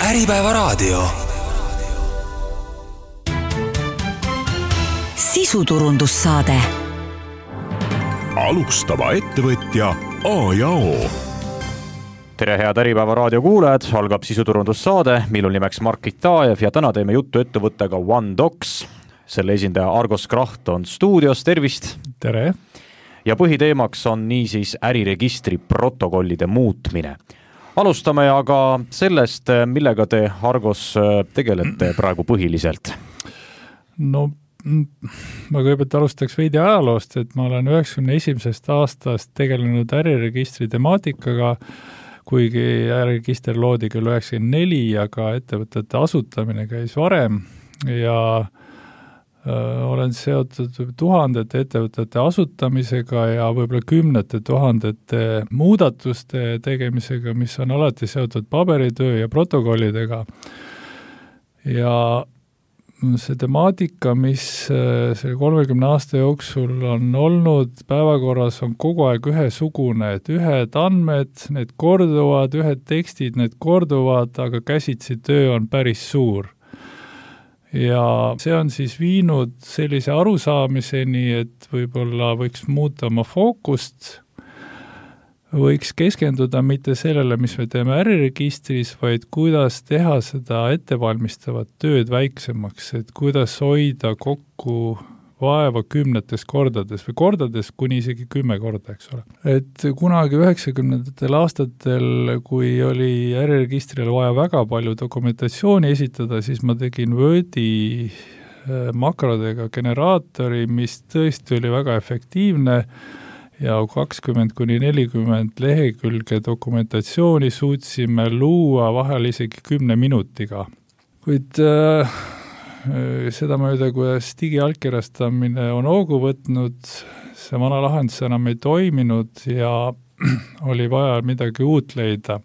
Äripäevaraadio. Sisuturundussaade. Alustava ettevõtja A ja O. Tere head Äripäevaraadio kuulajad, algab sisuturundussaade, millel nimeks Mark Itajev ja täna teeme juttu ettevõttega OneDocs. Selle esindaja Argos Kraht on stuudios, tervist! Tere! Ja põhiteemaks on niisiis äriregistri protokollide muutmine. Alustame aga sellest, millega te, Argos, tegelete praegu põhiliselt. No, ma kõigepealt alustaks veidi ajaloost, et ma olen 91. aastast tegelenud äriregistri temaatikaga, kuigi äriregister loodi küll 94, aga ettevõtete asutamine käis varem ja olen seotud tuhandete ettevõtete asutamisega ja võib-olla kümnete tuhandete muudatuste tegemisega, mis on alati seotud paberitöö ja protokollidega. Ja see temaatika, mis selle 30 aasta jooksul on olnud päevakorras, on kogu aeg ühesugune, et ühed andmed, need korduvad, ühed tekstid, need korduvad, aga käsitsi töö on päris suur. Ja see on siis viinud sellise arusaamiseni, et võib-olla võiks muuta oma fookust, võiks keskenduda mitte sellele, mis me teeme äriregistris, vaid kuidas teha seda ettevalmistavat tööd väiksemaks, et kuidas hoida kokku vaeva kümnetes kordades või kordades kuni isegi 10 korda, eks ole. Et kunagi 90. aastatel, kui oli äriregistrile vaja väga palju dokumentatsiooni esitada, siis ma tegin Wordi makrodega generaatori, mis tõesti oli väga efektiivne ja 20–40 lehekülge dokumentatsiooni suutsime luua vahel isegi 10 minutiga. Kuid seda mööda, kuidas digiallkirjastamine on hoogu võtnud, see vana lahendus enam ei toiminud ja oli vaja midagi uut leida.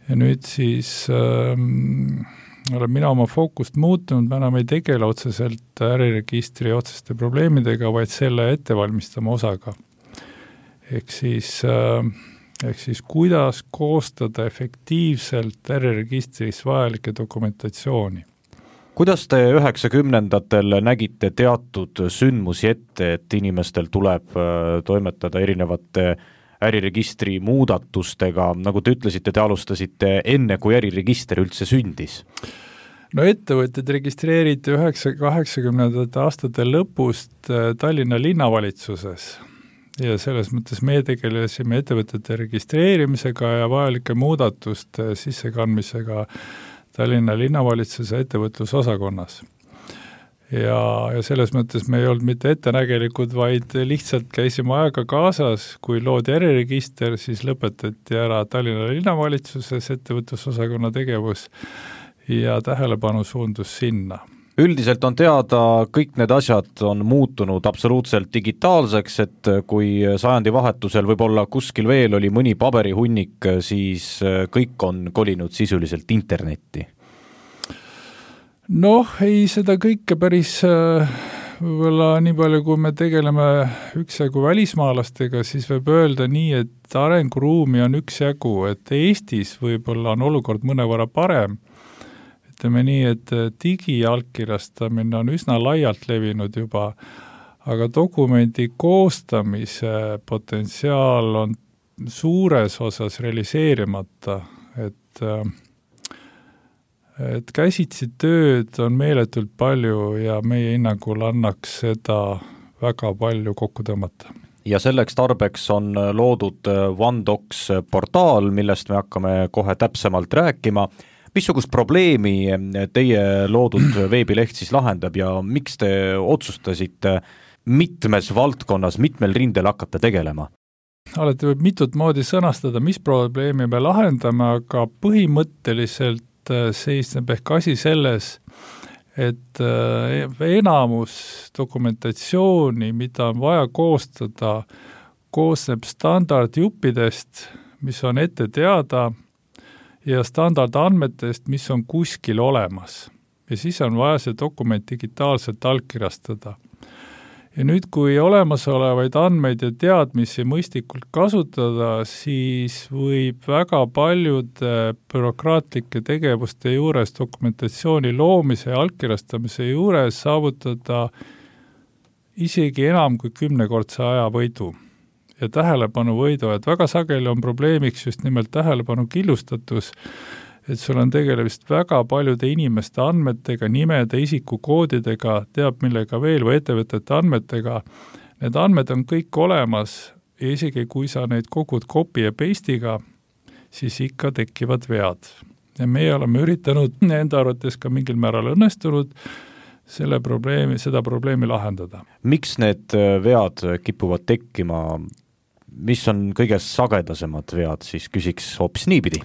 Ja nüüd siis olen mina oma fookust muutunud, me enam ei tegele otseselt äriregistri otseste probleemidega, vaid selle ettevalmistama osaga. Ehk siis kuidas koostada efektiivselt äriregistris vajalikke dokumentatsiooni. Kuidas te 90-ndatel nägite teatud sündmusi ette, et inimestel tuleb toimetada erinevate äriregistri muudatustega, nagu te ütlesite, te alustasite enne, kui äriregister üldse sündis? No ettevõtted registreeriti 80. aastate lõpust Tallinna linnavalitsuses ja selles mõttes me tegelesime ettevõtete registreerimisega ja vajalike muudatuste sissekandmisega Tallinna linnavalitsuse ettevõtlusosakonnas. Ja selles mõttes me ei olnud mitte ettenägelikud, vaid lihtsalt käisime aega kaasas, kui loodi äriregister, siis lõpetati ära Tallinna linnavalitsuses ettevõtlusosakonna tegevus ja tähelepanu suundus sinna. Üldiselt on teada, kõik need asjad on muutunud absoluutselt digitaalseks, et kui sajandi vahetusel võib-olla kuskil veel oli mõni paberihunnik, siis kõik on kolinud sisuliselt internetti. Noh, ei seda kõike päris võib-olla nii palju, kui me tegeleme üksjagu välismaalastega, siis võib öelda nii, et arenguruumi on üksjagu, et Eestis võib-olla on olukord mõnevõrra parem. Ütleme nii, et digiallkirjastamine on üsna laialt levinud juba, aga dokumendi koostamise potentsiaal on suures osas realiseerimata, et käsitsi tööd on meeletult palju ja meie hinnangul annaks seda väga palju kokku tõmmata. Ja selleks tarbeks on loodud OneDocs portaal, millest me hakkame kohe täpsemalt rääkima. Missugust probleemi teie loodud veebileht siis lahendab ja miks te otsustasite mitmes valdkonnas, mitmel rindel hakata tegelema? Alati võib mitut moodi sõnastada, mis probleemi me lahendame, aga põhimõtteliselt seisneb ehk asi selles, et enamus dokumentatsiooni, mida on vaja koostada, koosneb standardjuppidest, mis on ette teada, ja standardandmetest, mis on kuskil olemas. Ja siis on vaja see dokument digitaalselt allkirjastada. Ja nüüd, kui olemasolevaid andmeid ja teadmisi mõistlikult kasutada, siis võib väga paljude bürokraatlike tegevuste juures, dokumentatsiooni loomise ja allkirjastamise juures saavutada isegi enam kui 10-kordse ajavõidu ja tähelepanuvõidu, et väga sageli on probleemiks just nimelt tähelepanu killustatus, et sul on tegelemist väga paljude inimeste andmetega, nimede, isikukoodidega, teab millega veel või ettevõtete andmetega. Need andmed on kõik olemas ja isegi kui sa neid kogud copy ja paste'iga, siis ikka tekivad vead. Ja meie oleme üritanud enda arvates ka mingil määral õnnestunud seda probleemi lahendada. Miks need vead kipuvad tekkima? Mis on kõige sagedasemad vead, siis küsiks hoopis niipidi?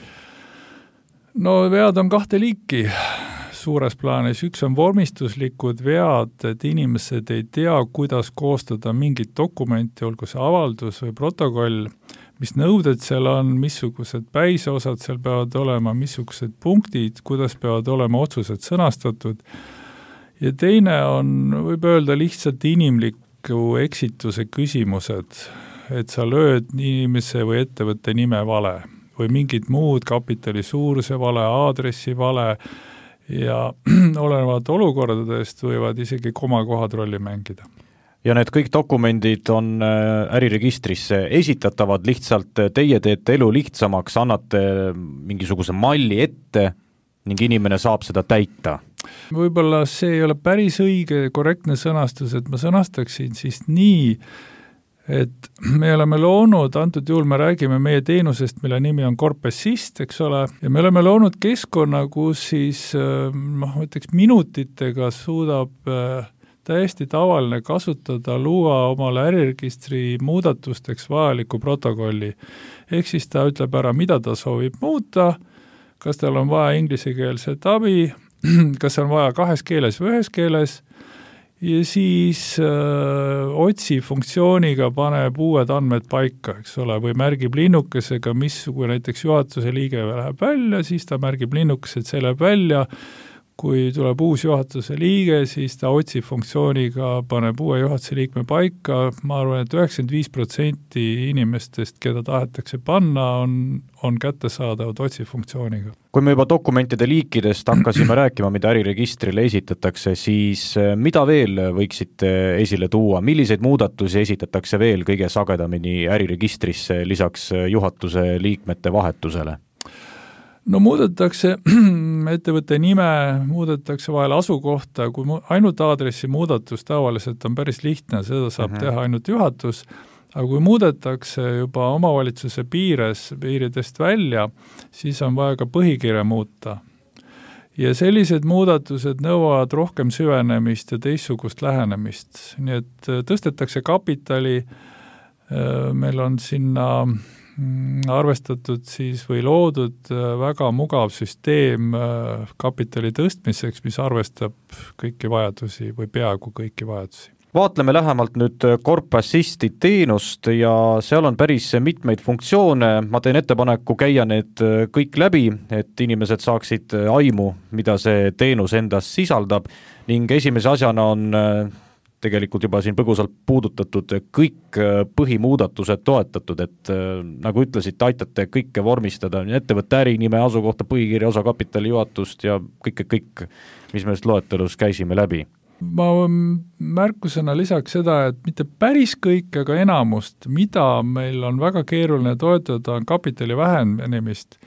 No vead on kahte liiki suures plaanis. Üks on vormistuslikud vead, et inimesed ei tea, kuidas koostada mingit dokumenti, olgu see avaldus või protokoll, mis nõuded seal on, missugused päiseosad seal peavad olema, missugused punktid, kuidas peavad olema otsused sõnastatud. Ja teine on, võib öelda, lihtsalt inimliku eksituse küsimused, et sa lööd inimese või ettevõtte nime vale või mingid muud kapitali suuruse vale, aadressi vale ja olenevad olukordadest võivad isegi komakohad rolli mängida. Ja need kõik dokumendid on äriregistrisse esitatavad, lihtsalt teie teete elu lihtsamaks, annate mingisuguse malli ette ning inimene saab seda täita. Võib-olla see ei ole päris õige korrektne sõnastus, et ma sõnastaksin siis nii, et me oleme loonud, antud juhul me räägime meie teenusest, mille nimi on Corp-Assist, eks ole, ja me oleme loonud keskkonna, kus siis ütleks minutitega suudab täiesti tavaline kasutada, luua omale äriregistri muudatusteks vajaliku protokolli. Ehk siis ta ütleb ära, mida ta soovib muuta, kas tal on vaja inglisekeelset abi, kas on vaja 2 keeles või 1 keeles, ja siis otsi funktsiooniga paneb uued andmed paika, eks ole, või märgib linnukesega, kui näiteks juhatuse liige läheb välja, siis ta märgib linnukesed, see läheb välja. Kui tuleb uus juhatuse liige, siis ta otsi funktsiooniga paneb uue juhatuse liikme paika. Ma arvan, et 95% inimestest, keda tahetakse panna, on kättesaadavad otsi funktsiooniga. Kui me juba dokumentide liikidest hakkasime rääkima, mida äriregistrile esitatakse, siis mida veel võiksite esile tuua? Milliseid muudatusi esitatakse veel kõige sagedamini äriregistrisse lisaks juhatuse liikmete vahetusele? No muudetakse ettevõtte nime, muudetakse vahel asukohta, kui ainult aadressi muudatus tavaliselt on päris lihtne, seda saab teha ainult juhatus, aga kui muudetakse juba omavalitsuse piiridest välja, siis on vaja ka põhikirja muuta. Ja sellised muudatused nõuavad rohkem süvenemist ja teistsugust lähenemist. Nii et tõstetakse kapitali, meil on sinna arvestatud siis või loodud väga mugav süsteem kapitali tõstmiseks, mis arvestab kõiki vajadusi või peaaegu kõiki vajadusi. Vaatleme lähemalt nüüd Corp-Assisti teenust ja seal on päris mitmeid funktsioone. Ma teen ettepaneku käia need kõik läbi, et inimesed saaksid aimu, mida see teenus endas sisaldab ning esimese asjana on tegelikult juba siin põgusalt puudutatud kõik põhimuudatused toetatud, et nagu ütlesid, aitate kõike vormistada, ettevõtte ärinime, asukohta, põhikirja, osakapitali juhatust ja kõik, mis me loetelus käisime läbi. Ma märkusena lisaks seda, et mitte päris kõik, aga enamust, mida meil on väga keeruline toetada, on kapitali vähendamist,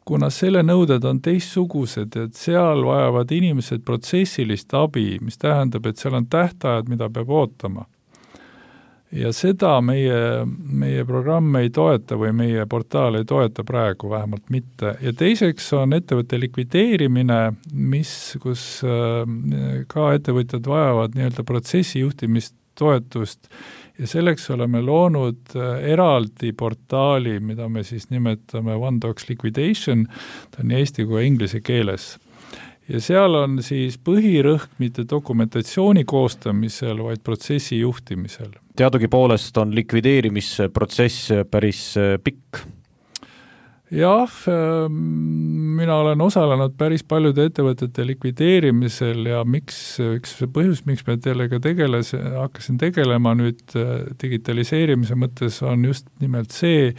kuna selle nõuded on teistsugused, et seal vajavad inimesed protsessilist abi, mis tähendab, et seal on tähtajad, mida peab ootama. Ja seda meie programm ei toeta või meie portaal ei toeta praegu, vähemalt mitte. Ja teiseks on ettevõtte likvideerimine, kus ka ettevõtjad vajavad nii-öelda protsessijuhtimist toetust ja selleks oleme loonud eraldi portaali, mida me siis nimetame OneDocs Liquidation, ta on nii eesti kui inglise keeles. Ja seal on siis põhirõhk mitte dokumentatsiooni koostamisel, vaid protsessi juhtimisel. Teadugi poolest on likvideerimisprotsess päris pikk. Jah, mina olen osalenud päris paljude ettevõtete likvideerimisel ja üks põhjus, miks me sellega hakkasin tegelema nüüd digitaliseerimise mõttes on just nimelt see,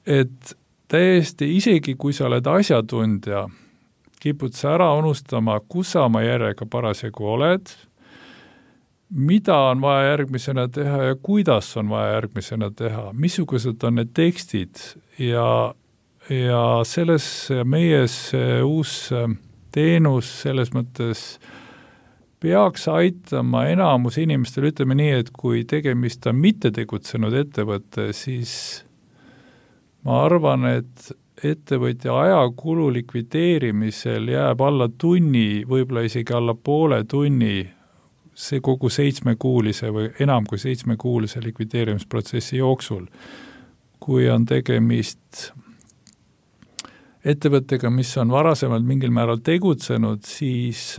et täiesti isegi kui sa oled asjatundja, kipud sa ära unustama, kus sa oma järjega parasjagu oled, mida on vaja järgmisena teha ja kuidas on vaja järgmisena teha, missugused on need tekstid ja selles meie uus teenus selles mõttes peaks aitama enamus inimestel, ütleme nii, et kui tegemist on mitte tegutsenud ettevõtte, siis ma arvan, et ettevõtja ajakulu likvideerimisel jääb alla tunni, võib-olla isegi alla poole tunni see kogu 7-kuulise või enam kui 7-kuulise likvideerimisprotsessi jooksul. Kui on tegemist ettevõttega, mis on varasemalt mingil määral tegutsenud, siis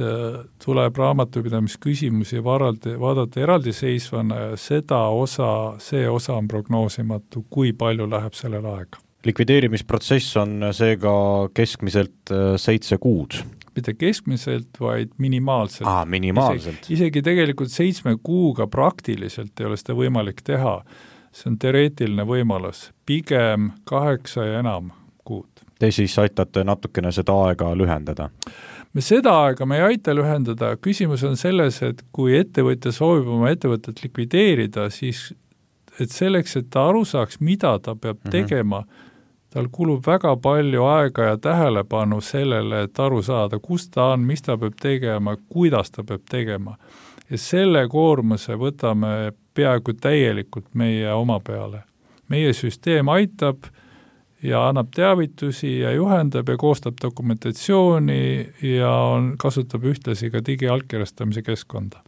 tuleb raamatupidamisküsimusi vaadata eraldiseisvana ja see osa on prognoosimatu, kui palju läheb sellel aega. Likvideerimisprotsess on seega keskmiselt 7 kuud. Mitte keskmiselt, vaid minimaalselt. Minimaalselt. Isegi tegelikult 7 kuuga praktiliselt ei ole seda võimalik teha. See on teoreetiline võimalus. Pigem 8 ja enam kuud. Te siis aitate natukene seda aega lühendada? Seda aega me ei aita lühendada. Küsimus on selles, et kui ettevõtja soovib oma ettevõtet likvideerida, siis et selleks, et ta aru saaks, mida ta peab tegema, tal kulub väga palju aega ja tähelepanu sellele, et aru saada, kus ta on, mis ta peab tegema, kuidas ta peab tegema. Ja selle koormuse võtame peaaegu täielikult meie oma peale. Meie süsteem aitab ja annab teavitusi ja juhendab ja koostab dokumentatsiooni ja kasutab ühtlasi ka digiallkirjastamise keskkonda.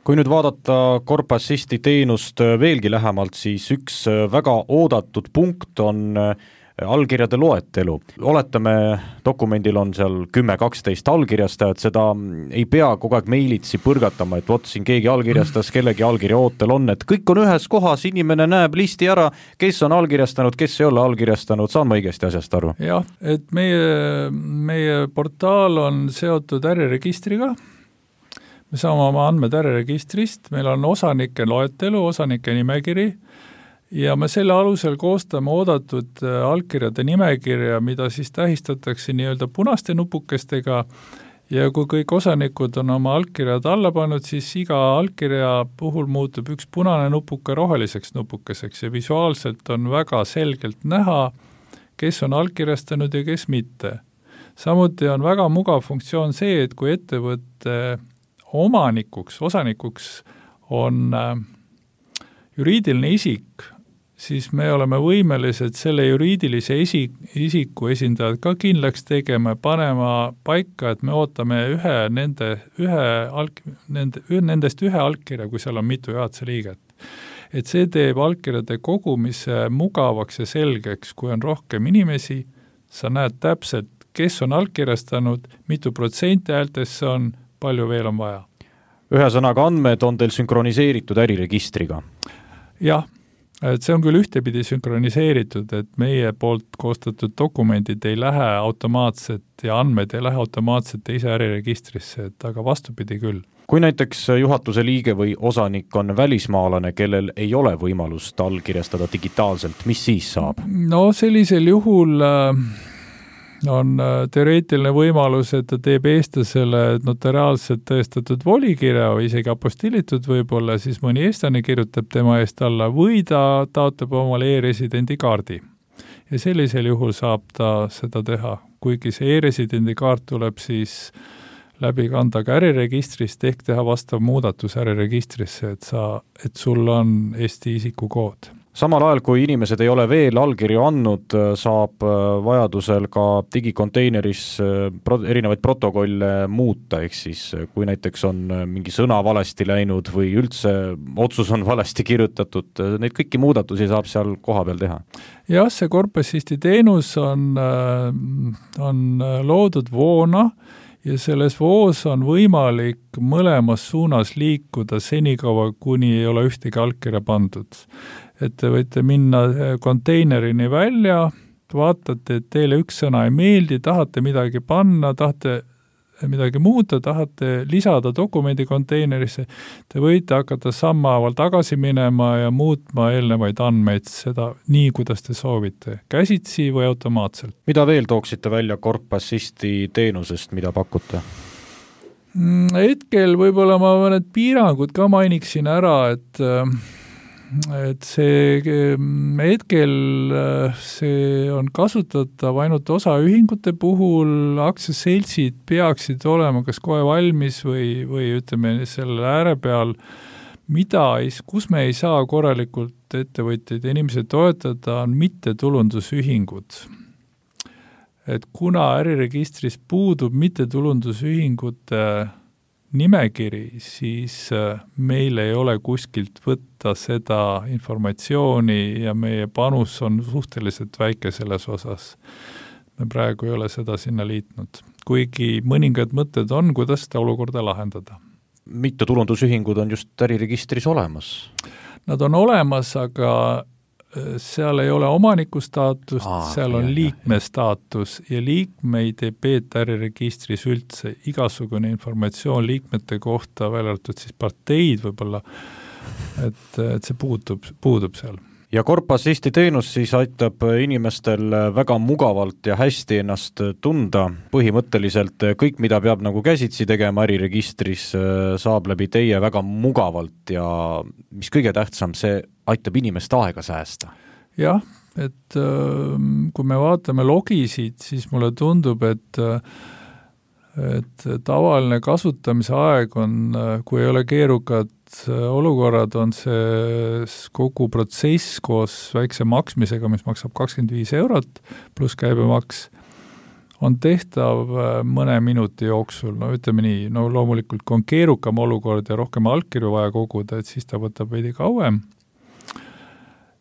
Kui nüüd vaadata Corpassisti teenust veelgi lähemalt, siis üks väga oodatud punkt on allkirjade loetelu. Oletame, dokumendil on seal 10-12 allkirjastajat, seda ei pea kogu aeg meilitsi põrgatama, et vot siin keegi allkirjastas, kellegi allkirja ootel on, et kõik on ühes kohas, inimene näeb listi ära, kes on allkirjastanud, kes ei ole allkirjastanud, saan ma õigesti asjast aru? Jah, et meie portaal on seotud äriregistriga, me saame oma andmed äriregistrist, meil on osanike loetelu, osanike nimekiri, ja me selle alusel koostame oodatud allkirjade nimekirja, mida siis tähistatakse nii-öelda punaste nupukestega ja kui kõik osanikud on oma allkirjad alla pannud, siis iga allkirja puhul muutub üks punane nupuke roheliseks nupukeseks ja visuaalselt on väga selgelt näha, kes on allkirjastanud ja kes mitte. Samuti on väga mugav funktsioon see, et kui ettevõtte osanikuks on juriidiline isik, siis me oleme võimelised selle juriidilise isiku esindajad ka kindlaks tegema ja panema paika, et me ootame nendest ühe allkirja, kui seal on mitu juhatuse liiget. Et see teeb allkirjade kogumise mugavaks ja selgeks, kui on rohkem inimesi, sa näed täpselt, kes on allkirjastanud, mitu protsenti häältest see on, palju veel on vaja. Ühesõnaga andmed on teil sünkroniseeritud äriregistriga? Jah. Et see on küll ühtepidi sünkroniseeritud, et meie poolt koostatud dokumendid ei lähe automaatselt ja andmed ei lähe automaatselt ise äriregistrisse, et aga vastupidi küll. Kui näiteks juhatuse liige või osanik on välismaalane, kellel ei ole võimalust allkirjastada digitaalselt, mis siis saab? No sellisel juhul on teoreetiline võimalus, et ta teeb eestlasele notariaalselt tõestatud volikirja või isegi apostillitud võib-olla, siis mõni eestlane kirjutab tema eest alla või ta taotleb omale e-residendi kaardi. Ja sellisel juhul saab ta seda teha, kuigi see e-residendi kaart tuleb siis läbi kanda ka äriregistrist ehk teha vastav muudatus äriregistrisse, et sul on Eesti isikukood. Samal ajal, kui inimesed ei ole veel allkirju andnud, saab vajadusel ka digikonteineris erinevaid protokolle muuta, ehk siis kui näiteks on mingi sõna valesti läinud või üldse otsus on valesti kirjutatud, neid kõiki muudatusi saab seal koha peal teha. Jah, see Corpassisti teenus on loodud voona ja selles voos on võimalik mõlemas suunas liikuda senikaua, kuni ei ole ühtegi allkirja pandud. Et te võite minna konteinerini välja, minna allkirja andma ja siis, kui see allkiri on pandud, siis te saate allkirja anda. vaatate, et teile üks sõna ei meeldi, tahate midagi panna, tahate midagi muuta, tahate lisada dokumendi konteinerisse, te võite hakata sammhaaval tagasi minema ja muutma eelnevaid andmeid seda nii, kuidas te soovite, käsitsi või automaatselt. Mida veel tooksite välja Corp Assisti teenusest, mida pakute? Hetkel võib-olla ma mõned piirangud ka mainiksin ära, et see hetkel see on kasutatav ainult osaühingute puhul, aktsiaseltsid peaksid olema kas kohe valmis või ütleme selle ääre peal, kus me ei saa korralikult ettevõtjaid ja inimesi toetada, on mittetulundusühingud. Et kuna äriregistris puudub mittetulundusühingute nimekiri, siis meil ei ole kuskilt võtta seda informatsiooni ja meie panus on suhteliselt väike selles osas. Me praegu ei ole seda sinna liitnud, kuigi mõningad mõtted on, kuidas seda olukorda lahendada. Mittetulundusühingud on just äriregistris olemas? Nad on olemas, aga seal ei ole omaniku staatust, seal on liikme staatus ja liikmeid ei peeta äriregistris üldse. Igasugune informatsioon liikmete kohta, välja arvatud siis parteid võib-olla, et see puudub seal. Ja Corp Assisti teenus siis aitab inimestel väga mugavalt ja hästi ennast tunda. Põhimõtteliselt kõik, mida peab nagu käsitsi tegema äriregistris, saab läbi teie väga mugavalt ja mis kõige tähtsam, see aitab inimest aega säästa. Jah, et kui me vaatame logisid, siis mulle tundub, et tavaline kasutamise aeg on, kui ei ole keerukad olukorrad, on see kogu protsess koos väikse maksmisega, mis maksab 25 eurot pluss käibemaks, on tehtav mõne minuti jooksul, no ütleme nii, no loomulikult kui on keerukam olukord ja rohkem allkirju vaja koguda, et siis ta võtab veidi kauem.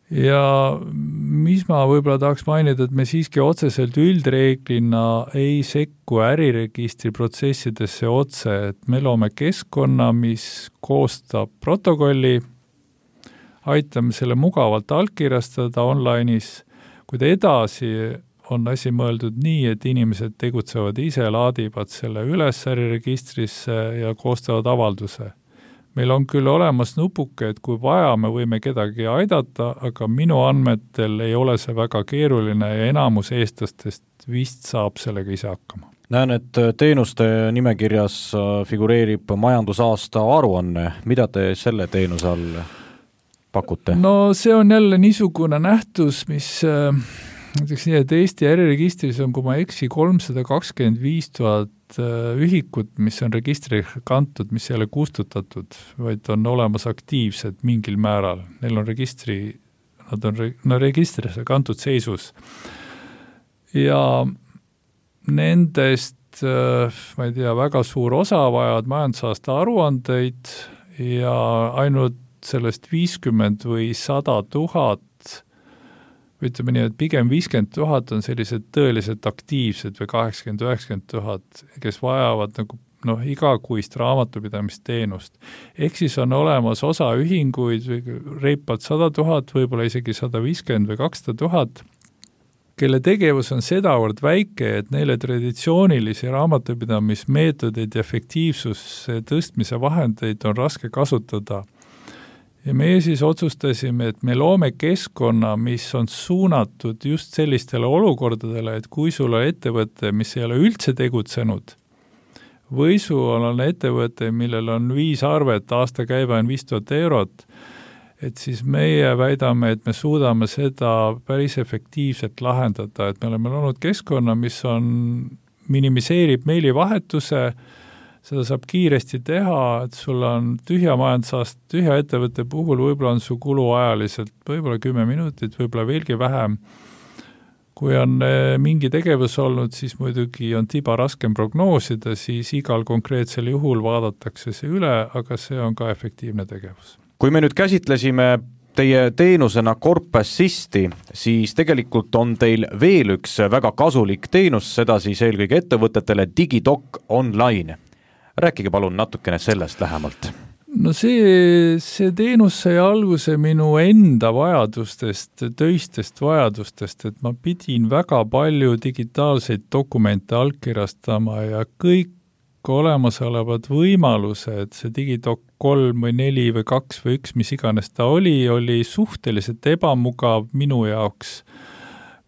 Ja mis ma võib-olla tahaks mainida, et me siiski otseselt üldreeglina ei sekku äriregistri protsessidesse otse, et me loome keskkonna, mis koostab protokolli, aitame selle mugavalt allkirjastada online'is, kuid edasi on asi mõeldud nii, et inimesed tegutsevad ise, laadivad selle üles äriregistrisse ja koostavad avalduse. Meil on küll olemas nupuke, et kui vaja, me võime kedagi aidata, aga minu andmetel ei ole see väga keeruline ja enamus eestlastest vist saab sellega ise hakkama. Näen, et teenuste nimekirjas figureerib majandusaasta aruanne. Mida te selle teenuse all pakute? No see on jälle niisugune nähtus, mis näiteks nii, et Eesti äriregistris on, kui ma eksi, 325 000 ühikut, mis on registri kantud, mis ei ole kustutatud, vaid on olemas aktiivsed mingil määral. Neil on nad on registrisse kantud seisus. Ja nendest, ma ei tea, väga suur osa vajavad majandusaasta aruandeid ja ainult sellest 50 või 100 000 ütleme nii, et pigem 50 000 on sellised tõeliselt aktiivsed või 80-90 000, kes vajavad nagu igakuist raamatupidamisteenust. Ehk siis on olemas osa ühinguid, reipalt 100 000, võib-olla isegi 150 või 200 000, kelle tegevus on sedavõrd väike, et neile traditsioonilisi raamatupidamismeetodeid ja efektiivsuse tõstmise vahendeid on raske kasutada. Ja meie siis otsustasime, et me loome keskkonna, mis on suunatud just sellistele olukordadele, et kui sul on ettevõte, mis ei ole üldse tegutsenud, või sul on ettevõte, millel on 5 arvet, aastakäive on 5000 eurot, et siis meie väidame, et me suudame seda päris efektiivselt lahendada, et me oleme loonud keskkonna, mis minimiseerib meilivahetuse, seda saab kiiresti teha, et sul on tühja majandusaasta, tühja ettevõtte puhul võib-olla on su kulu ajaliselt võib-olla 10 minutit, võib-olla veelgi vähem. Kui on mingi tegevus olnud, siis muidugi on tiba raskem prognoosida, siis igal konkreetsel juhul vaadatakse see üle, aga see on ka efektiivne tegevus. Kui me nüüd käsitlesime teie teenusena Corp Assisti, siis tegelikult on teil veel üks väga kasulik teenus, seda siis eelkõige ettevõtetele DigiDoc Online. Rääkige palun natukene sellest lähemalt. No see teenus sai alguse minu enda vajadustest, töistest vajadustest, et ma pidin väga palju digitaalseid dokumente allkirjastama ja kõik olemasolevad võimalused, see Digidok 3 või 4 või 2 või 1, mis iganes ta oli suhteliselt ebamugav minu jaoks.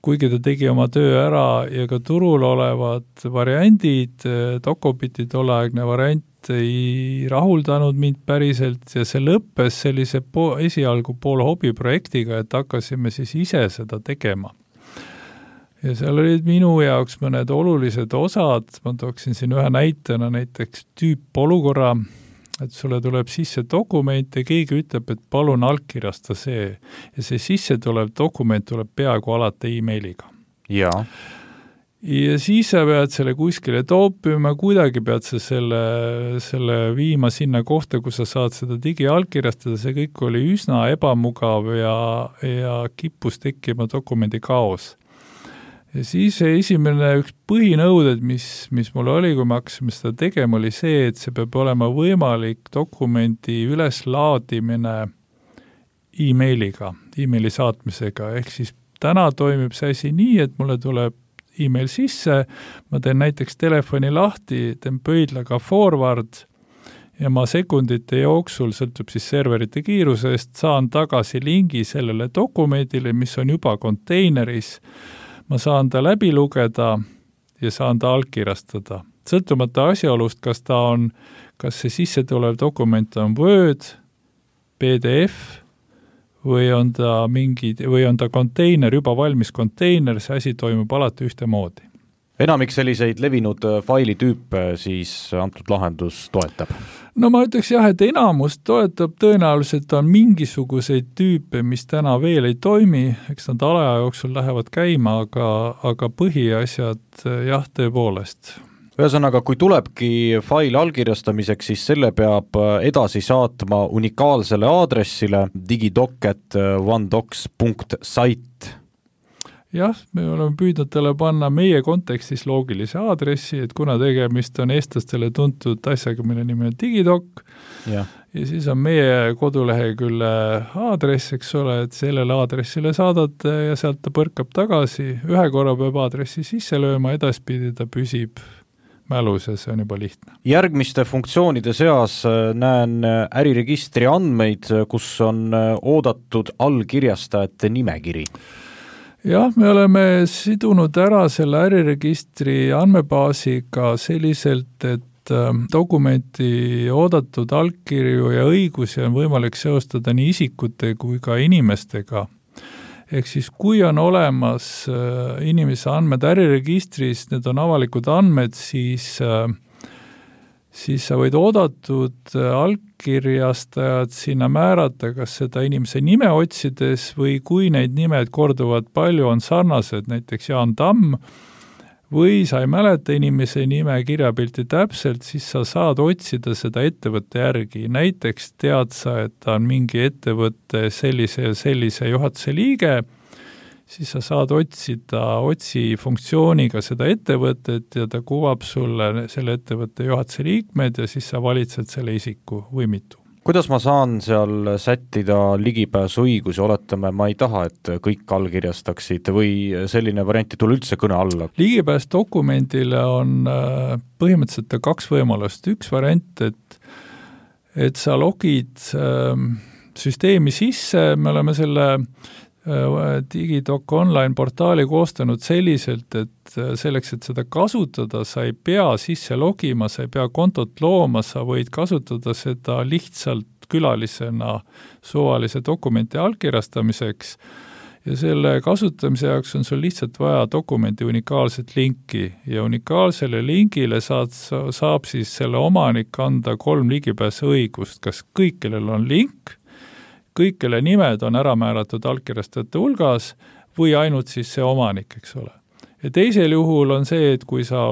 Kuigi ta tegi oma töö ära ja ka turul olevad variandid, Docobiti tolleaegne variant ei rahuldanud mind päriselt ja see lõppes sellise esialgu pool hobiprojektiga, et hakkasime siis ise seda tegema. Ja seal olid minu jaoks mõned olulised osad, ma tooksin siin ühe näitena näiteks tüüpolukorra, et sulle tuleb sisse dokument ja keegi ütleb, et palun allkirjasta see. Ja see sisse tulev dokument tuleb peaaegu alati e-mailiga. Ja siis sa pead selle kuskile toopima, kuidagi pead sa selle viima sinna kohta, kus sa saad seda digiallkirjastada, see kõik oli üsna ebamugav ja kippus tekkima dokumendi kaos. Ja siis esimene üks põhinõuded, mis mul oli, kui me hakkasime seda tegema, oli see, et see peab olema võimalik dokumendi üleslaadimine e-mailiga, e-maili saatmisega, ehk siis täna toimib see asi nii, et mulle tuleb e-mail sisse, ma teen näiteks telefoni lahti, teen pöidlaga forward ja ma sekundite jooksul, sõltub siis serverite kiirusest, saan tagasi lingi sellele dokumendile, mis on juba konteineris, ma saan ta läbi lugeda ja saan ta allkirjastada. Sõltumata asjaolust, kas see sisse tulev dokument on Word, PDF või on ta konteiner, juba valmis konteiner, see asi toimub alati ühtemoodi. Enamik selliseid levinud failitüüpe siis antud lahendus toetab? No ma ütleks jah, et enamus toetab, tõenäoliselt on mingisuguseid tüüpe, mis täna veel ei toimi, eks nad alaja jooksul lähevad käima, aga põhiasjad jah, tõepoolest. Ühesõnaga, kui tulebki fail allkirjastamiseks, siis selle peab edasi saatma unikaalsele aadressile digidoc@onedocs.site. Jah, me oleme püüdnud talle panna meie kontekstis loogilise aadressi, et kuna tegemist on eestlastele tuntud asjaga, mille nimi on Digidoc, ja siis on meie kodulehekülle aadress, eks ole, et sellele aadressile saadate ja sealt ta põrkab tagasi, ühe korra peab aadressi sisse lööma, edaspidi ta püsib mälus ja see on juba lihtne. Järgmiste funktsioonide seas näen äriregistri andmeid, kus on oodatud allkirjastajate nimekiri. Jah, me oleme sidunud ära selle äriregistri andmebaasiga selliselt, et dokumenti oodatud allkirju ja õigusi on võimalik seostada nii isikute kui ka inimestega. Ehk siis, kui on olemas inimese andmed äriregistris, need on avalikud andmed, siis sa võid oodatud allkirjastajad sinna määrata, kas seda inimese nime otsides või kui neid nimed korduvad palju, on sarnased, näiteks Jaan Tamm, või sa ei mäleta inimese nime kirjapilti täpselt, siis sa saad otsida seda ettevõtte järgi. Näiteks tead sa, et ta on mingi ettevõtte sellise juhatuse liige, siis sa saad otsi funktsiooniga seda ettevõtet ja ta kuvab sulle selle ettevõtte juhatuse liikmed ja siis sa valitsed selle isiku või mitu. Kuidas ma saan seal sättida ligipääsuõigusi, oletame, ma ei taha, et kõik allkirjastaksid või selline variant ei tule üldse kõne alla? Ligipääs dokumendile on põhimõtteliselt 2 võimalust. Üks variant, et sa logid süsteemi sisse, me oleme selle Digidoc online portaali koostanud selliselt, et selleks, et seda kasutada, sa ei pea sisse logima, sa ei pea kontot looma, sa võid kasutada seda lihtsalt külalisena suvalise dokumenti allkirjastamiseks ja selle kasutamise jaoks on sul lihtsalt vaja dokumenti unikaalset linki ja unikaalsele lingile saab siis selle omanik anda 3 ligipääsuõigust, kas kõik, kellel on link, kõik, kelle nimed on ära määratud allkirjastajate hulgas või ainult siis see omanik, eks ole. Ja teisel juhul on see, et kui sa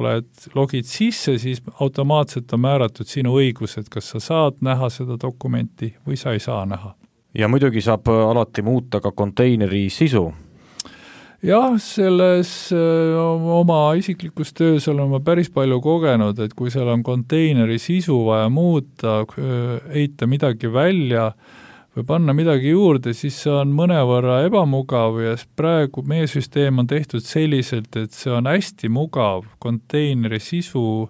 logid sisse, siis automaatselt on määratud sinu õigused, kas sa saad näha seda dokumenti või sa ei saa näha. Ja muidugi saab alati muuta ka konteineri sisu. jah, selles oma isiklikus töös olen ma päris palju kogenud, et kui seal on konteineri sisu vaja muuta, heita midagi välja või panna midagi juurde, siis see on mõnevõrra ebamugav ja praegu meie süsteem on tehtud selliselt, et see on hästi mugav konteineri sisu,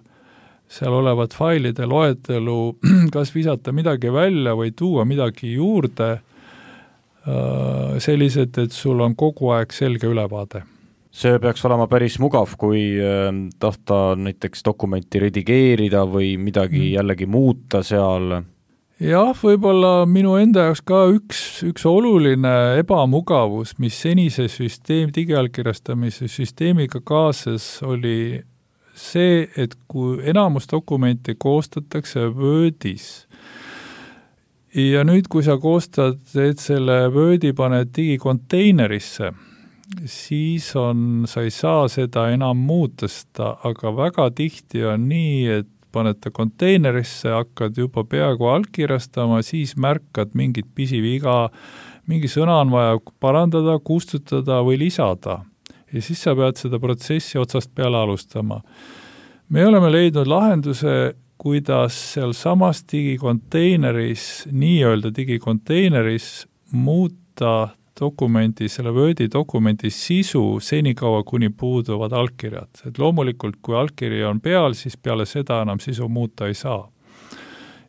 seal olevat failide loetelu, kas visata midagi välja või tuua midagi juurde, sellised, et sul on kogu aeg selge ülevaade. See peaks olema päris mugav, kui tahta näiteks dokumenti redigeerida või midagi jällegi muuta seal. Jah, võib-olla minu enda jaoks ka üks oluline ebamugavus, mis senise digiallkirjastamise süsteemiga kaasas, oli see, et kui enamus dokumenti koostatakse Wordis ja nüüd, kui sa koostad, et selle Wordi paned digikonteinerisse, siis sa ei saa seda enam muuta, aga väga tihti on nii, et paned ta konteinerisse, hakkad juba peaaegu allkirjastama, siis märkad mingit pisiviga, mingi sõna on vaja parandada, kustutada või lisada. Ja siis sa pead seda protsessi otsast peale alustama. Me oleme leidnud lahenduse, kuidas seal samas digikonteineris, nii-öelda digikonteineris muuta dokumendi, selle Wordi dokumendi sisu senikaua, kuni puuduvad allkirjad. Et loomulikult, kui allkiri on peal, siis peale seda enam sisu muuta ei saa.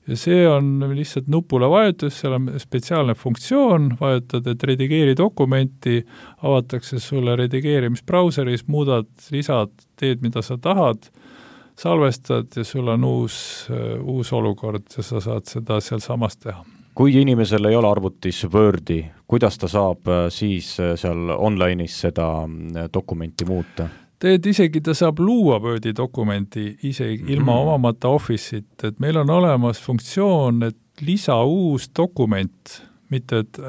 Ja see on lihtsalt nupule vajutus, seal on spetsiaalne funktsioon, vajutad, et redigeeri dokumenti, avatakse sulle redigeerimisbrauseris, muudad, lisad, teed, mida sa tahad, salvestad ja sul on uus olukord ja sa saad seda seal samas teha. Kui inimesel ei ole arvutis Wordi, kuidas ta saab siis seal online'is seda dokumenti muuta? Isegi ta saab luua Wordi dokumenti isegi ilma omamata Office'it, et meil on olemas funktsioon, et lisa uus dokument, mitte et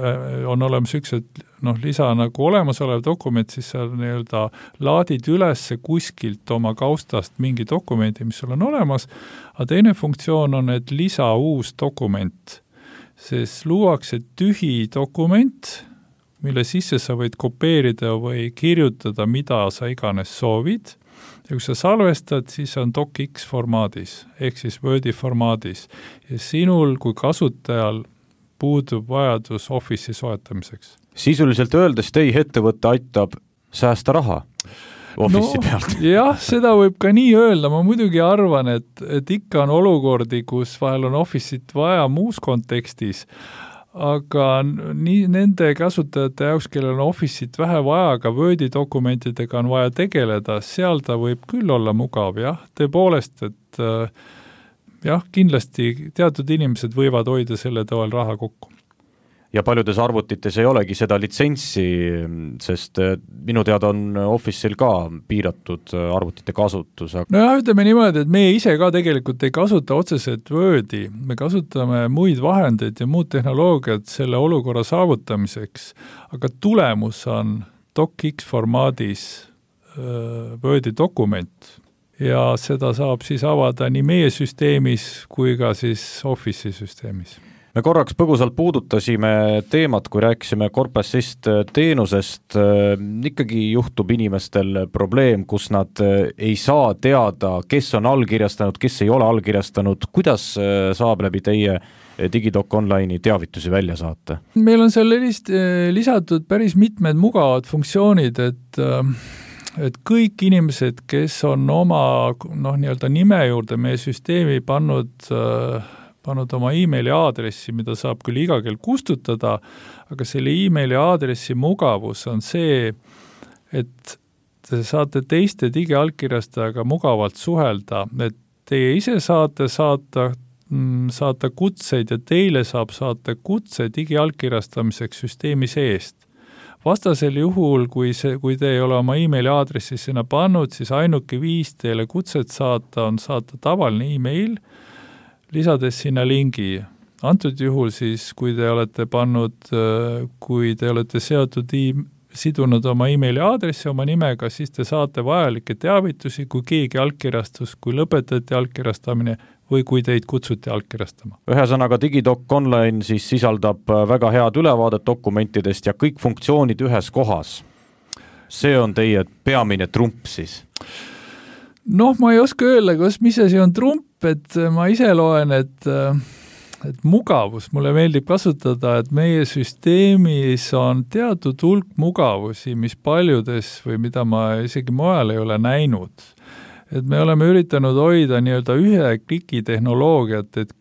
on olemas üks, et lisa nagu olemasolev dokument, siis sa nii-öelda laadid üles kuskilt oma kaustast mingi dokumendi, mis sul on olemas, aga teine funktsioon on, et lisa uus dokument, sest luuakse tühi dokument, mille sisse sa võid kopeerida või kirjutada, mida sa iganes soovid. Ja kui sa salvestad, siis on docx formaadis, ehk siis Wordi formaadis. Ja sinul kui kasutajal puudub vajadus Office'i soetamiseks. Sisuliselt öeldes teie ettevõtte aitab säästa raha Office'i pealt. Jah, seda võib ka nii öelda. Ma muidugi arvan, et ikka on olukordi, kus vahel on Office'it vaja muus kontekstis, aga nii nende kasutajate jaoks, kellel on Office'it vähe vaja, aga Wordi dokumentidega on vaja tegeleda, seal ta võib küll olla mugav, jah, tõepoolest, et jah, kindlasti teatud inimesed võivad hoida selle toel raha kokku. Ja paljudes arvutites ei olegi seda litsentsi, sest minu teada on Office'il ka piiratud arvutite kasutus. Jah, ütleme niimoodi, et meie ise ka tegelikult ei kasuta otseselt Wordi, me kasutame muid vahendeid ja muud tehnoloogiat selle olukorra saavutamiseks, aga tulemus on docx formaadis Wordi dokument ja seda saab siis avada nii meie süsteemis kui ka siis Office'i süsteemis. Me korraks põgusalt puudutasime teemat, kui rääkisime Corp-Assist teenusest. Ikkagi juhtub inimestel probleem, kus nad ei saa teada, kes on allkirjastanud, kes ei ole allkirjastanud. Kuidas saab läbi teie Digidoc Online'i teavitusi välja saata? Meil on seal lisatud päris mitmed mugavad funktsioonid, et kõik inimesed, kes on oma nii-öelda nime juurde meie süsteemi pannud oma e-maili aadressi, mida saab küll iga kell kustutada, aga selle e-maili aadressi mugavus on see, et te saate teiste digiallkirjastajaga mugavalt suhelda, et teie ise saate saata kutseid ja teile saab saata kutse digiallkirjastamiseks süsteemi seest. Vastasel juhul, kui te ei ole oma e-maili aadressi sinna pannud, siis ainuke viis teile kutset saata on saata tavaline e-mail, lisades sinna lingi. Antud juhul siis, kui te olete sidunud oma e-maili aadressi oma nimega, siis te saate vajalikke teavitusi, kui keegi allkirjastus, kui lõpetati allkirjastamine või kui teid kutsuti allkirjastama. Ühesõnaga Digidoc Online siis sisaldab väga head ülevaadet dokumentidest ja kõik funktsioonid ühes kohas. see on teie peamine trump siis? Noh, ma ei oska öelda, mis asi on trump, et ma ise loen, et mugavus, mulle meeldib kasutada, et meie süsteemis on teatud hulk mugavusi, mis paljudes või mida ma isegi mujal ei ole näinud. Et me oleme üritanud hoida nii-öelda ühe kliki tehnoloogiat, et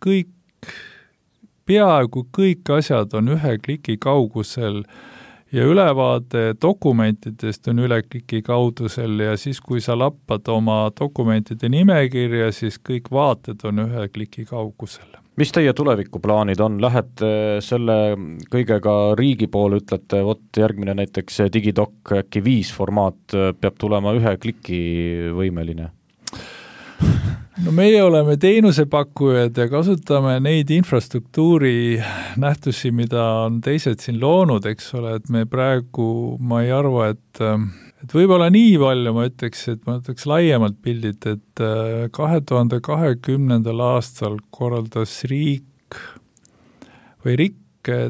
peaaegu kõik asjad on ühe kliki kaugusel ja ülevaade dokumentidest on üle kliki kaudusel ja siis, kui sa lappad oma dokumentide nimekirja, siis kõik vaated on ühe kliki kaugusel. Mis teie tulevikuplaanid on? Lähete selle kõigega riigi poole, ütlete, järgmine näiteks Digidoc äkki 5 formaat peab tulema ühe kliki võimeline? No meie oleme teenusepakkujad ja kasutame neid infrastruktuuri nähtusi, mida on teised siin loonud, eks ole, et me praegu, ma ei arva, et võib-olla nii palju ma ütleks laiemalt pildid, et 2020. aastal korraldas riik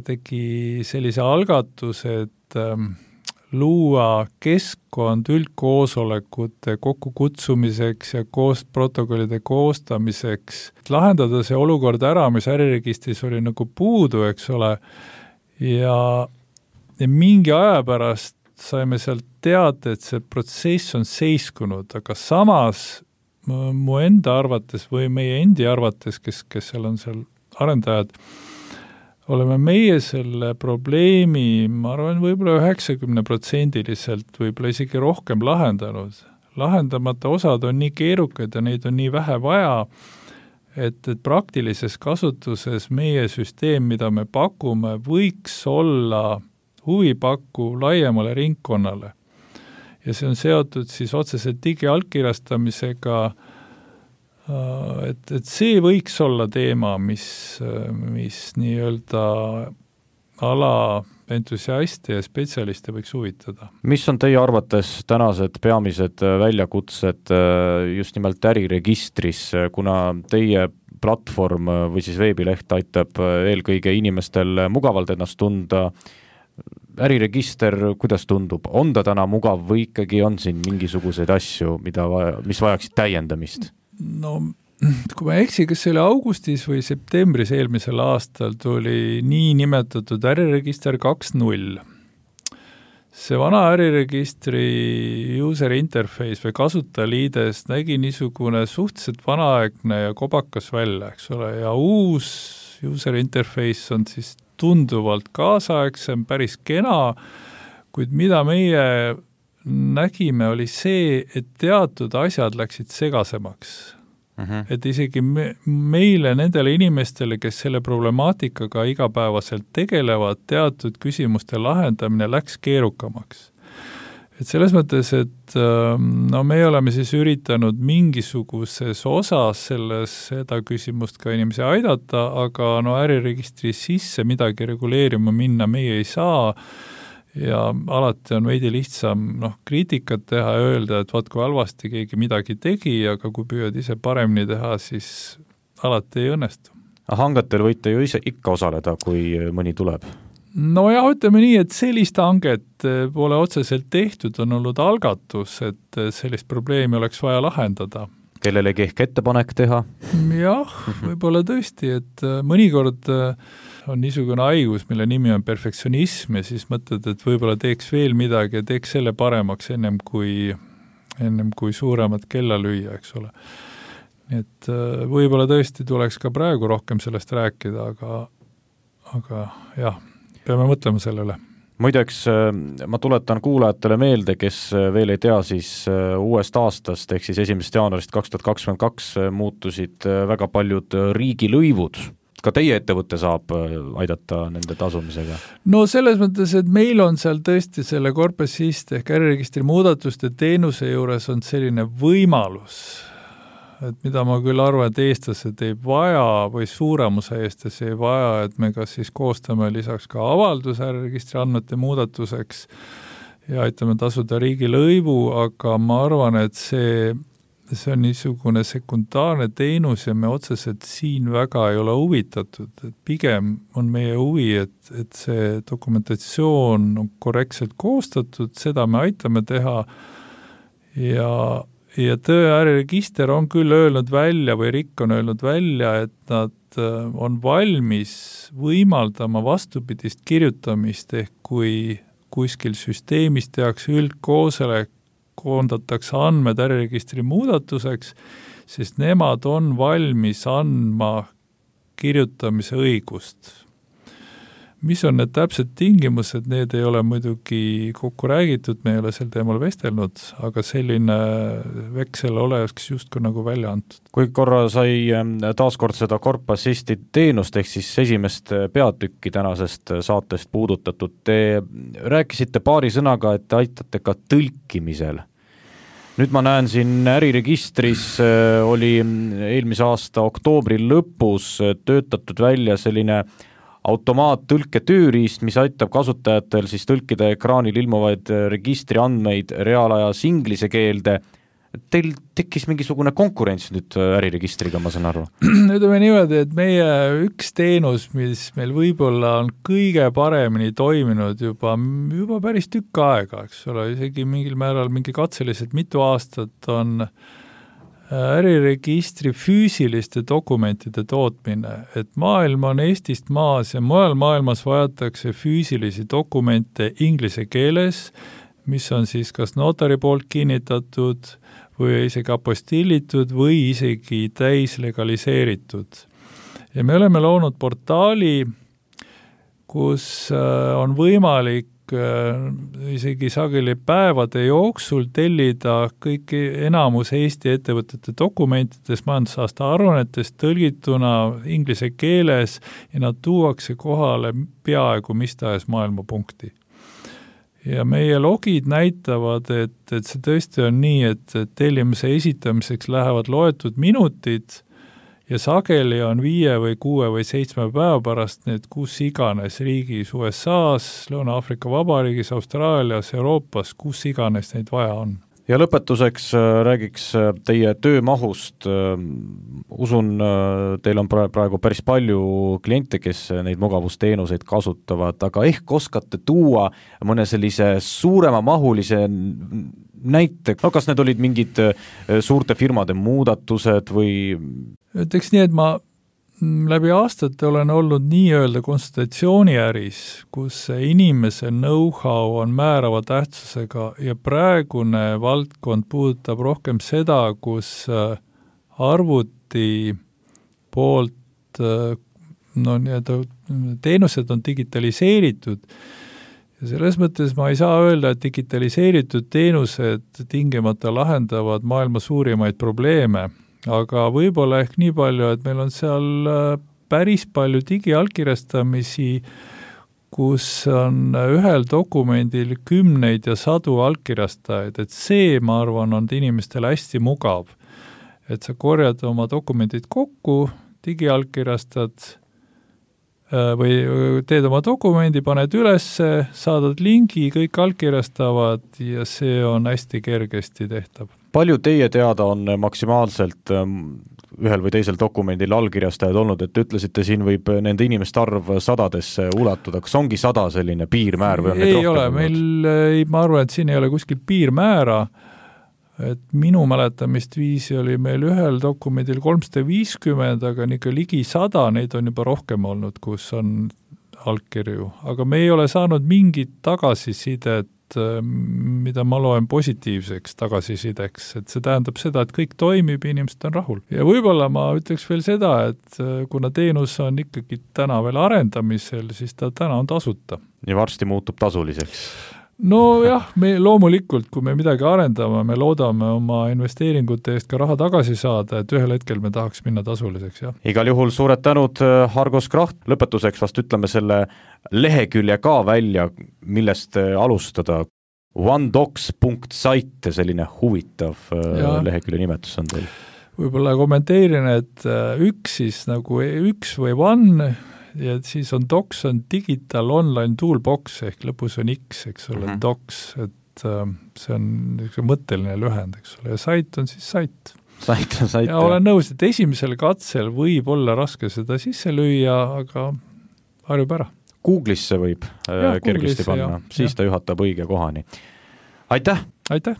tegi sellise algatuse, et luua keskkond üldkoosolekute kokkukutsumiseks ja protokollide koostamiseks, lahendada see olukord ära, mis äriregistris oli nagu puudu, eks ole, ja mingi aja pärast saime sealt teada, et see protsess on seiskunud, aga samas mu enda arvates või meie endi arvates, kes seal on seal arendajad, oleme meie selle probleemi, ma arvan, võib-olla 90% võib-olla isegi rohkem lahendanud. Lahendamata osad on nii keerukad ja neid on nii vähe vaja, et praktilises kasutuses meie süsteem, mida me pakume, võiks olla huvipakku laiemale ringkonnale. Ja see on seotud siis otseselt digiallkirjastamisega, et see võiks olla teema, mis nii-öelda ala entusiaste ja spetsialiste võiks huvitada. Mis on teie arvates tänased peamised väljakutsed just nimelt äriregistris, kuna teie platvorm või siis veebileht aitab eelkõige inimestel mugavalt ennast tunda? Äriregister, kuidas tundub? On ta täna mugav või ikkagi on siin mingisuguseid asju, mis vajaksid täiendamist? No, kui ma eksi, kas see oli augustis või septembris eelmisel aastal tuli nii nimetatud äriregister 2.0. See vana äriregistri user interface või kasutajaliides nägi niisugune suhteliselt vanaaegne ja kobakas välja, eks ole, ja uus user interface on siis tunduvalt kaasaegsem, päris kena, kuid mida meie nägime, oli see, et teatud asjad läksid segasemaks. Et isegi meile, nendele inimestele, kes selle problemaatikaga igapäevaselt tegelevad, teatud küsimuste lahendamine läks keerukamaks. Et selles mõttes, et me oleme siis üritanud mingisuguses osas seda küsimust ka inimesi aidata, aga äriregistri sisse midagi reguleerima minna meie ei saa ja alati on veidi lihtsam kriitikat teha ja öelda, et vaat kui halvasti keegi midagi tegi, aga kui püüad ise paremini teha, siis alati ei õnnestu. Hangetel võite ju ise ikka osaleda, kui mõni tuleb? No jah, ütleme nii, et sellist hanget pole otseselt tehtud, on olnud algatus, et sellist probleemi oleks vaja lahendada. Kellelegi ehk ettepanek teha? Jah, võib-olla tõesti, et mõnikord on niisugune haigus, mille nimi on perfektsionism ja siis mõtled, et võib-olla teeks veel midagi ja teeks selle paremaks ennem kui suuremat kella lüüa, eks ole. Et võib-olla tõesti tuleks ka praegu rohkem sellest rääkida, aga jah, peame mõtlema selle üle. Muideks, ma tuletan kuulajatele meelde, kes veel ei tea, siis uuest aastast ehk siis 1. jaanuarist 2022 muutusid väga paljud riigilõivud. Ka teie ettevõtte saab aidata nende tasumisega? No selles mõttes, et meil on seal tõesti selle Corpusist ehk äriregistri muudatuste teenuse juures on selline võimalus, et mida ma küll arvan, et eestlased ei vaja või suuremuse eestlasi ei vaja, et me kas siis koostame lisaks ka avalduse äriregistri andmete muudatuseks ja aitame tasuda riigilõivu, aga ma arvan, et see see on niisugune sekundaarne teenus ja me otseselt siin väga ei ole huvitatud, et pigem on meie huvi, et see dokumentatsioon on korrektselt koostatud, seda me aitame teha ja Tööäriregister on küll öelnud välja või RIK on öelnud välja, et nad on valmis võimaldama vastupidist kirjutamist, ehk kui kuskil süsteemis tehakse üldkoosolek, koondatakse andmed äriregistri muudatuseks, sest nemad on valmis andma kirjutamise õigust. Mis on need täpsed tingimused, need ei ole muidugi kokku räägitud, me ei ole sel teemal vestelnud, aga selline veksel oleks justkui nagu välja antud. Kui korra sai taaskord seda Corp Assisti teenust, ehk siis esimest peatükki tänasest saatest puudutatud, te rääkisite paari sõnaga, et te aitate ka tõlkimisel. Nüüd ma näen siin äriregistris oli eelmise aasta oktoobri lõpus töötatud välja selline automaattõlke tööriist, mis aitab kasutajatel siis tõlkida ekraanil ilmuvaid registri andmeid reaalajas inglise keelde. Teil tekkis mingisugune konkurents nüüd äriregistriga, ma saan aru? Ütleme niimoodi, et meie üks teenus, mis meil võib-olla on kõige paremini toiminud juba päris tükk aega, eks ole, isegi mingil määral mingi katseliselt mitu aastat on äriregistri füüsiliste dokumentide tootmine, et maailm on Eestist maas ja mujal maailmas vajatakse füüsilisi dokumente inglise keeles, mis on siis kas notari poolt kinnitatud või isegi apostillitud või isegi täislegaliseeritud. Ja me oleme loonud portaali, kus on võimalik isegi sageli päevade jooksul tellida kõik enamus Eesti ettevõtete dokumentidest, majandusaasta aruannetest tõlgituna inglise keeles ja nad tuuakse kohale peaaegu mis tahes maailmapunkti. Ja meie logid näitavad, et see tõesti on nii, et tellimuse esitamiseks lähevad loetud minutid ja sageli on 5 või 6 või 7 päeva pärast need kus iganes riigis, USA-s, Lõuna-Aafrika Vabariigis, Austraalias, Euroopas, kus iganes neid vaja on. Ja lõpetuseks räägiks teie töömahust. Usun, teil on praegu päris palju kliente, kes neid mugavusteenuseid kasutavad, aga ehk oskate tuua mõne sellise suurema mahulise näite, no kas need olid mingid suurte firmade muudatused või? Ütleks nii, et ma läbi aastate olen olnud nii-öelda konsultatsiooniäris, kus inimese know-how on määrava tähtsusega ja praegune valdkond puudutab rohkem seda, kus arvuti poolt teenused on digitaliseeritud ja selles mõttes ma ei saa öelda, et digitaliseeritud teenused tingimata lahendavad maailma suurimaid probleeme, aga võib-olla ehk nii palju, et meil on seal päris palju digiallkirjastamisi, kus on ühel dokumendil 10 ja 100 allkirjastajaid, et see, ma arvan, on inimestele hästi mugav, et sa korjad oma dokumendid kokku, digiallkirjastad või teed oma dokumendi, paned ülesse, saadad lingi, kõik allkirjastavad ja see on hästi kergesti tehtav. Palju teie teada on maksimaalselt ühel või teisel dokumendil allkirjastajad olnud, et ütlesite, siin võib nende inimeste arv 100-desse ulatuda, kas ongi 100 selline piirmäär või on neid rohkem? Ei ole, meil, ma arvan, et siin ei ole kuskil piirmäära, et minu mäletamist viisi oli meil ühel dokumendil 350, aga niisugune ligi 100, neid on juba rohkem olnud, kus on allkirju, aga me ei ole saanud mingit tagasisidet, mida ma loen positiivseks tagasisideks, et see tähendab seda, et kõik toimib ja inimesed on rahul. Ja võib-olla ma ütleks veel seda, et kuna teenus on ikkagi täna veel arendamisel, siis ta täna on tasuta. Ja varsti muutub tasuliseks? No jah, me loomulikult, kui me midagi arendame, me loodame oma investeeringute eest ka raha tagasi saada, et ühel hetkel me tahaks minna tasuliseks, jah. Igal juhul suured tänud, Argos Kraht. Lõpetuseks vast ütleme selle lehekülje ka välja, millest alustada. onedocs.site, selline huvitav lehekülje nimetus on teil. Võib-olla kommenteerin, et üks siis nagu üks või one, ja siis on Docs on Digital Online Toolbox ehk lõpus on X, eks ole, Docs, et see on mõtteline lühend, eks ole, ja site on siis site. saite. Ja olen nõus, et esimesel katsel võib olla raske seda sisse lüüa, aga harjub ära. Google'isse võib kergesti panna, siis ta juhatab õige kohani. Aitäh! Aitäh!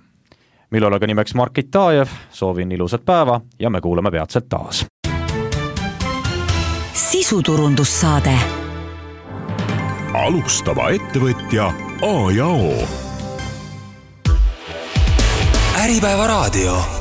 Millal aga nimeks Mark Itajev, soovin ilusat päeva ja me kuuleme peatselt taas. Sisuturundussaade. Alustava ettevõtja A ja O. Äripäeva raadio.